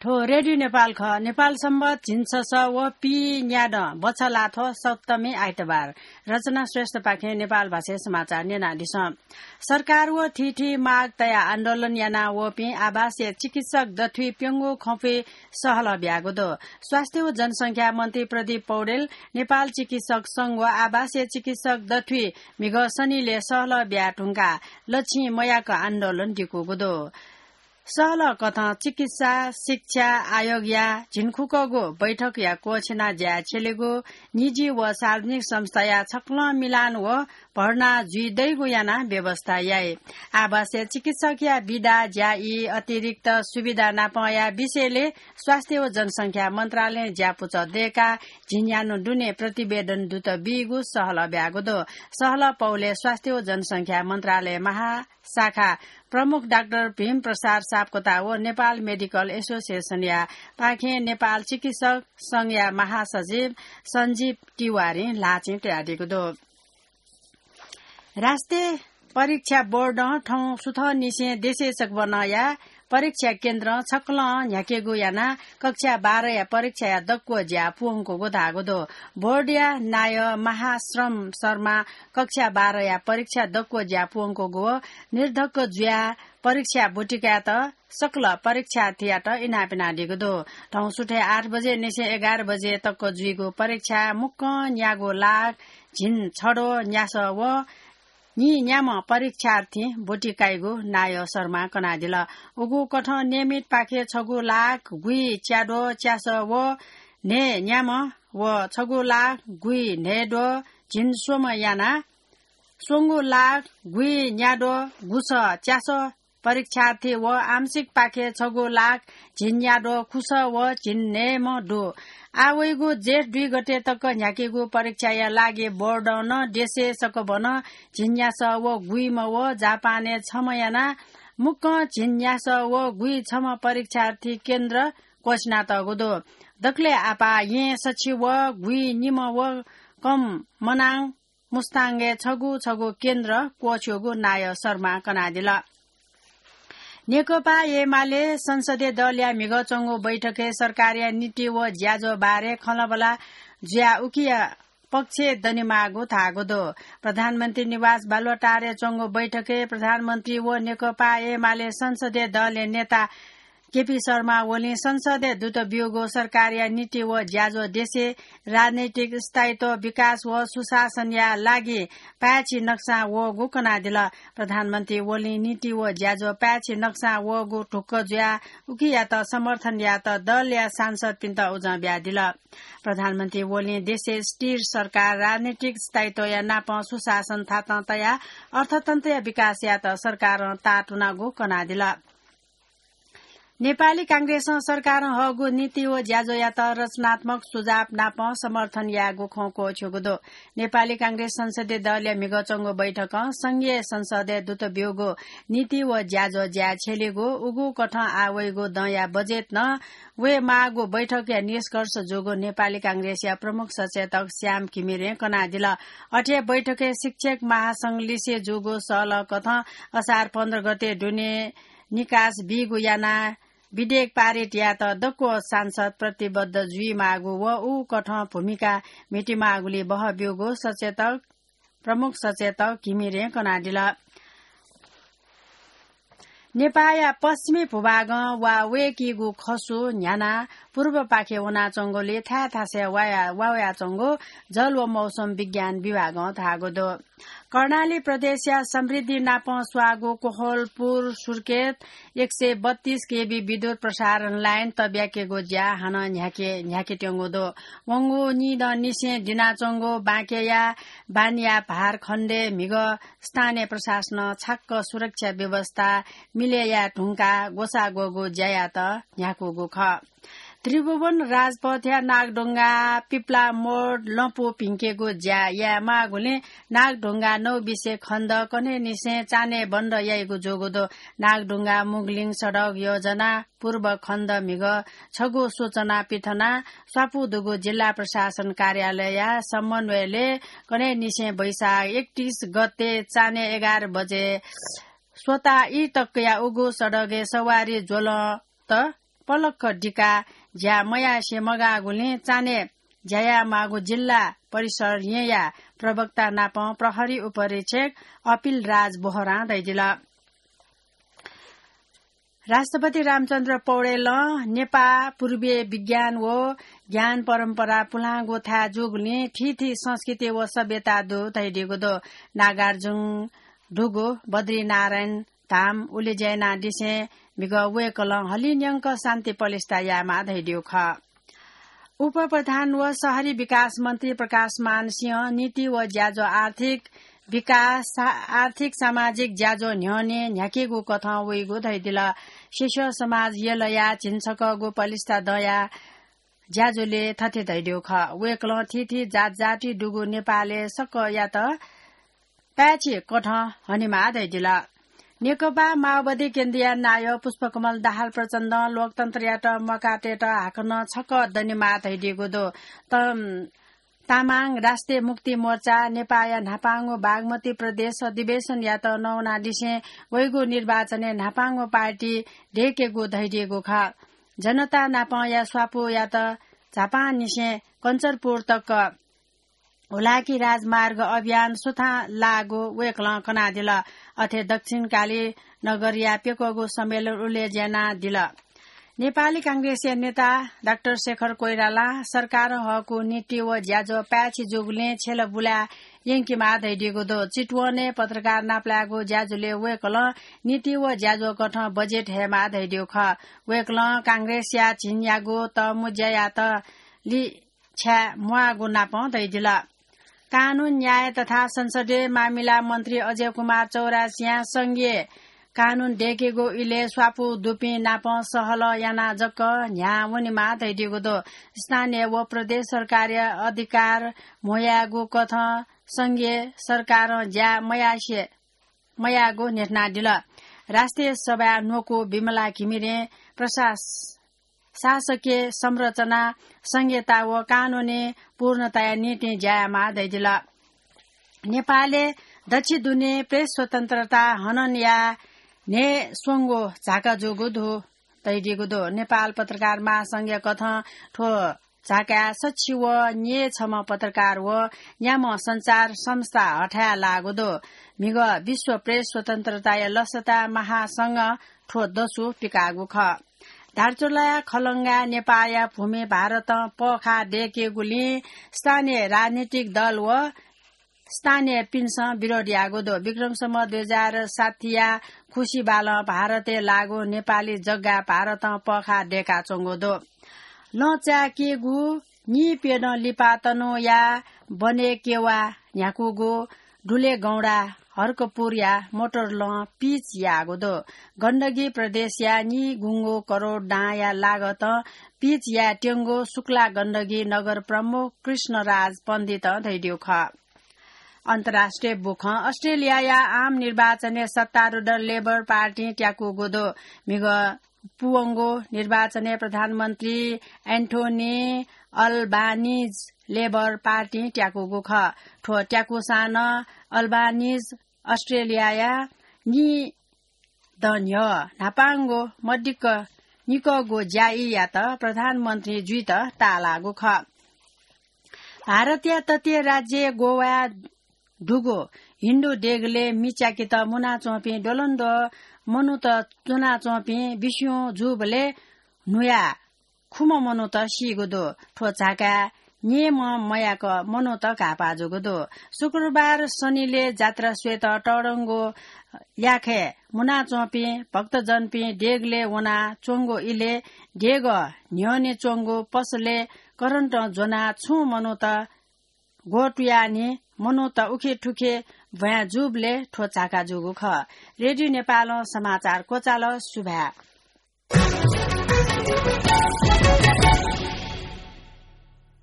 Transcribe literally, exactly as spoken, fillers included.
थ्व रेडियो नेपाल खः। नेपाल सम्बत झिंछसः व पीन्यादँ बछलाथ्व सप्तमी आइतबार। रचना श्रेष्ठपाखें नेपाल भाषाय् समाचार न्यनादिसँ। सरकार व थीथी माग तयाः आन्दोलन याना वःपिं आभासीय चिकित्सक दथुइ प्यंगू खँपुइ सहलह ब्यागु दु। स्वास्थ्य व जनसंख्या मन्त्री प्रदीप पौडेल, नेपाल चिकित्सक संघ व आभासीय चिकित्सक दथुइ म्हिगः सनिलय् सहलह ब्याये धुंकाः लछिं मयाक आन्दोलन दिकूगु दु। सहलह कथं चिकित्सा शिक्षा आयोगया झिंखुकःगु बैठकया क्वःछिना ज्या छ्यलेगु, निजी व सार्वजनिक संस्थाया छकलं मिलान व भर्ना जुइ दइगु यानाः व्यवस्था याइ। आवासीय चिकित्सकया बिदा ज्या ई अतिरिक्त सुविधा नापंया विषयले स्वास्थ्य व जनसंख्या मन्त्रालयं ज्यापुचः दय्काः झिंन्यान्हु दुने प्रतिवेदन दुत बीगु सहलह ब्यागु दु। सहलह पौले स्वास्थ्य व जनसंख्या मन्त्रालय महाशाखा प्रमुख डाक्टर भीम प्रसाद सापकोटा व नेपाल मेडिकल एसोसिएसनया पाखें नेपाल चिकित्सक संघया महासचिव सञ्जीव तिवारीं ल्हाःचिं तयादीगु दु। राष्ट्रिय परीक्षा बोर्डं थौं सुथंनिसें देशय् सकभनया परीक्षा केन्द्रं छकलं न्ह्याकेगु यानाः कक्षा बाह्रया परीक्षाया दक्व ज्या पूवंकूगु धाःगु दु। बोर्डया नायः महाश्रम शर्मां कक्षा बाह्रया परीक्षा दक्व ज्या पूवंकूगु व निर्धक्क जुयाः परीक्षा ब्वति कायेत सकल परीक्षार्थीयात इनाप यानादीगु दु। थौं सुथय् आठ बजेनिसें एघार बजे तक जुइगु परीक्षा मुक्कं न्यागू लाख झिंछद्वः न्यासः व नीन्याम्ह परीक्षार्थीं ब्वति काइगु नायः शर्मां कनादिल। उगु कथं नियमितपाखे छगू लाख गुइच्याद्वः च्यासः व न्हय्न्याम्ह व छगू लाख गुइन्हय्द्वः झिंस्वम्ह यानाः स्वंगू लाख गुइन्याद्वः गुसः च्यासः परीक्षार्थी व आंशिकपाखे छगू लाख झिंन्याद्वः खुसः व झिंन्हय्म्ह दु। आः वइगु जेठ दुई गते तक न्ह्याकेगु परीक्षाया लागि बोर्डं नं देशय् सकभनं झिंन्यासः व गुइम्ह व जापानय् छम्ह यानाः मुक्कं झिंन्यासः व गुइछम्ह परीक्षार्थी केन्द्र क्वःछिनातःगु दु। दकलय् आपाः येँ सछि व गुइनिम्ह व कम मनाङ मुस्ताङय् छगू छगू केन्द्र क्वःछ्यूगु नायः शर्मां कनादिल। नेकपा एमाले संसदीय दलया म्हिगः च्वंगु बैठकय् सरकारया नीति व ज्याझ्वः बारे खँल्हाबल्हा जुयाः उकिया पक्षय् दनेमाःगु धाःगु दु। प्रधानमन्त्री निवास बालुवाटारय् च्वंगु बैठकय् प्रधानमन्त्री व नेकपा एमाले संसदीय दलया नेता केपी शर्मा ओलीं संसदय् दुत ब्यूगु सरकारया नीति व ज्याझ्वः देशय् राजनैतिक स्थायित्व, विकास व सुशासनया लागि पाय्छि नक्सां वःगु कनादिल। प्रधानमन्त्री ओलीं नीति व ज्याझ्वः पाय्छि नक्सां वःगु ढुक्क जुयाः उकियात समर्थन यायेत दलया सांसदपिन्त उजं बियादिल। प्रधानमन्त्री ओलीं देशय् स्थिर सरकार, राजनैतिक स्थायित्वया नापं सुशासन थातं तयाः अर्थतन्त्रया विकास यायेत सरकारं ताःतुनागु कनादिल। नेपाली कांग्रेसं सरकारं हःगु नीति व ज्याझ्वःयात रचनात्मक सुझाव नापं समर्थन यायेगु खँ क्वःछ्यूगु दु। नेपाली कांग्रेस संसदीय दलया म्हिगः च्वंगु बैठकं संघीय संसदय् दुत ब्यूगु नीति व ज्याझ्वः ज्याय् छ्यलीगु, उगु कथं आः वइगु दँया बजेट नं वयेमाःगु बैठकया निष्कर्ष जूगु नेपाली कांग्रेसया प्रमुख सचेतक श्याम घिमिरें कनादिल। अथे बैठकय् शिक्षक महासंघ लिसे जूगु सहलह कथं असार पन्ध्र गते दुने निकास बीगु यानाः विधेयक पारित यायेत दक्व सांसद प्रतिबद्ध जुइमाःगु व उ कथं भूमिका म्हितेमाःगुलिइ बहः ब्यूगु सचेतक, प्रमुख सचेतक घिमिरें कनादिल। नेपाःया पश्चिमी भूभागं वा वय्कीगु खसु न्ह्यानाः पूर्वपाखे वनाच्वंगुलिइ थाय् थासय् वाया, वा वयाच्वंगु जल व मौसम विज्ञान विभागं धाःगु दु। कर्णाली प्रदेशया समृद्धि नापं स्वाःगु कोहलपुर सुर्खेत एक सय बत्तीस केभी विद्युत प्रसारण लाइन तब्याकेगु ज्या हानं न्ह्याके, न्ह्याकेत्यंगु दु। वंगु निदँनिसें दिनाच्वंगु बाँकेया बानिया भार खण्डय् म्हिगः स्थानीय प्रशासनं छाक्क सुरक्षा व्यवस्था मिले याये धुंकाः ग्वसाः ग्वःगु ज्यायात न्ह्याकूगु खः। त्रिभुवन राजपथया नागढुङ्गा पिप्लामोड लँपु भिंकेगु ज्या यायेमाःगुलिं नागढुङ्गा नौबिसे खण्ड कन्हय्निसें चान्हय् बन्द याइगु जूगु दु। नागढुङ्गा मुगलिङ सडक योजना पूर्व खण्ड म्हिगः छगू सूचना पिथनाः स्वापू दुगु जिल्ला प्रशासन कार्यालयया समन्वयले कन्हय्निसें वैशाख एकतीस गते चान्हय् एघार बजे स्वता ई तकया उगु सडकय् सवारी ज्वलंत पलख दिकाः ज्या मयासें मगाःगुलिं चान्हय् ज्या यायेमाःगु जिल्ला परिषद येँया प्रवक्ता नाप प्रहरी उपरीक्षक अपिल राज बोहरां धयादिल। राष्ट्रपति रामचन्द्र पौडेलं नेपाः पूर्वीय विज्ञान व ज्ञान परम्परा पुलांगु थाय् जूगुलिं थीथी संस्कृति व सभ्यता दु धयादीगु दु। नागार्जुन दुगु बद्रीनारायण धाम उलेज्या यानादिसें म्हिगः वय्कलं हलिंन्यंक शान्ति पलिस्था यायेमाः धयादीगु खः। उपप्रधान व शहरी विकास मन्त्री प्रकाशमान सिंहं नीति व ज्याझ्वः आर्थिक विकास, आर्थिक सामाजिक ज्याझ्वः न्ह्यःने न्ह्याकेगु कथं वइगु धयादिल। शिष्य समाज यलया झिंछकःगु पलिस्था दँया ज्याझ्वलय् थथे धयादीगु खः। वय्कलं थीथी जातजाति दुगु नेपालय् सकयात पाय्छि कथं हनेमाः धयादिल। नेकपा माओवादी केन्द्रीय नायः पुष्पकमल दाहाल प्रचण्डं लोकतन्त्रयात मकातयेत हाकनं छकः दनेमाः धयादीगु दु। त-, तामाङ राष्ट्रिय मुक्ति मोर्चा नेपाःया न्हापांगु बागमती प्रदेश अधिवेशनयात नवानादिसें वइगु निर्वाचनय् न्हापांगु पार्टी दय्केगु धयादीगु खः। जनता नापंया स्वापूयात झापांनिसें कञ्चनपुर तक हुलाकी राजमार्ग अभियान सुथां लाःगु वय्कलं कनादिल। अथे दक्षिणकाली नगरया प्यक्वःगु सम्मेलन उलेज्या यानादिल। नेपाली कांग्रेसया नेता डाक्टर शेखर कोइरालां सरकारं हःगु नीति व ज्याझ्वः पाय्छि जूगुलिं छ्यला बुलाय् यंकेमाः धयादीगु दु। चितवनय् पत्रकार नापलायेगु ज्याझ्वलय् वय्कलं नीति व ज्याझ्वः कथं बजेट हयेमाः धयादीगु खः। वय्कलं कांग्रेसया झिंन्यागू तःमुँज्यायात लि छाय् म्वाःगु नापं धयादिल। कानून, न्याय तथा संसदीय मामिला मन्त्री अजय कुमार चौरासियां संघीय कानून दय्केगु इलय् स्वापू दुपिं नाप सहलह यानाः जक न्ह्याः वनेमाः धयादीगु दु। स्थानीय व प्रदेश सरकारया अधिकार म्हो यायेगु कथं संघीय सरकारं ज्या मयासे, मयाःगु न्ह्यथनादिल। राष्ट्रिय सभाय् न्वकू विमला घिमिरें प्रशास-, शासकीय संरचना, संघीयता व कानूनी पूर्णताया निंतिं ज्या यायेमाः धयादिल। नेपालय् दच्छि दुने प्रेस स्वतन्त्रता हनन याये न्हय् स्वंगू झाका जूगु दु धयादीगु दु। नेपाल पत्रकार महासंघया कथं थ्व झाकाय् सच्छि व न्यय् छम्ह पत्रकार व न्याम्ह सञ्चार संस्था हथाय् लाःगु दु। म्हिगः विश्व प्रेस स्वतन्त्रताया लसता महासंघं थ्व दसु पिकाःगु खः। धारचुलाया खलंगाय् नेपाःया भूमि भारतं पःखाः दय्केगुलिं स्थानीय राजनीतिक दल व स्थानीयपिन्सं विरोध याःगु दु। विक्रम सम्वत दुई हजार साठीया खुसी बालं भारतय् लाःगु नेपाली जग्गा भारतं पःखाः दय्काच्वंगु दु। लँ चाय्केगु नीप्यदँ लिपा तनहुँया बनेकेवा न्ह्याकूगु दुलेगौंडा हर्कपुरया मोटर लँ पिच याःगु दु। गण्डकी प्रदेशया निगुंगू करोड दांया लागतं पिच यायेत्यंगु शुक्ला गण्डकी नगर प्रमुख कृष्णराज पण्डितं धयादीगु खः। अन्तर्राष्ट्रिय बुखँ। अस्ट्रेलियाया आम निर्वाचनय् सत्तारूढ लेबर पार्टीं त्याकूगु दु। म्हिगः पूवंगु निर्वाचनय् प्रधानमन्त्री एन्थोनी अल्बानिज लेबर पार्टीं त्याकूगु खः। थ्व त्याकूसां नं अल्बानिज अस्ट्रेलियाया निदँ न्ह्यः न्हापांगु मदिक्क निकःगु ज्याईयात प्रधानमन्त्री जुइत ताःलाःगु खः। भारतया तटीय राज्य गोवाय् दुगु हिन्दू देगलय् मि च्याकेत मुनाच्वंपिं द्वलंद्वः मनूत च्वनाच्वंपिं बिस्युं जूबलय् न्हुयाः खुम्ह मनूत सीगु दु। थ्व झाकाय् न्येम्ह मयाक मनूत घाःपाः जूगु दु। शुक्रबार सनिलय् जात्रा स्वयेत तःधंगु ल्याखय् मुनाच्वंपिं भक्तजनपिं देगलय् वनाच्वंगु इलय् देगः न्ह्यःने च्वंगु पसलय् करन्टं ज्वनाः छुं मनूत ग्वतुयाः नि मनूत उखेथुखे भ्वाँय् जूबलय् थ्व झाका जूगु खः। रेडियो नेपालं समाचार क्वचाल। सुभाय्।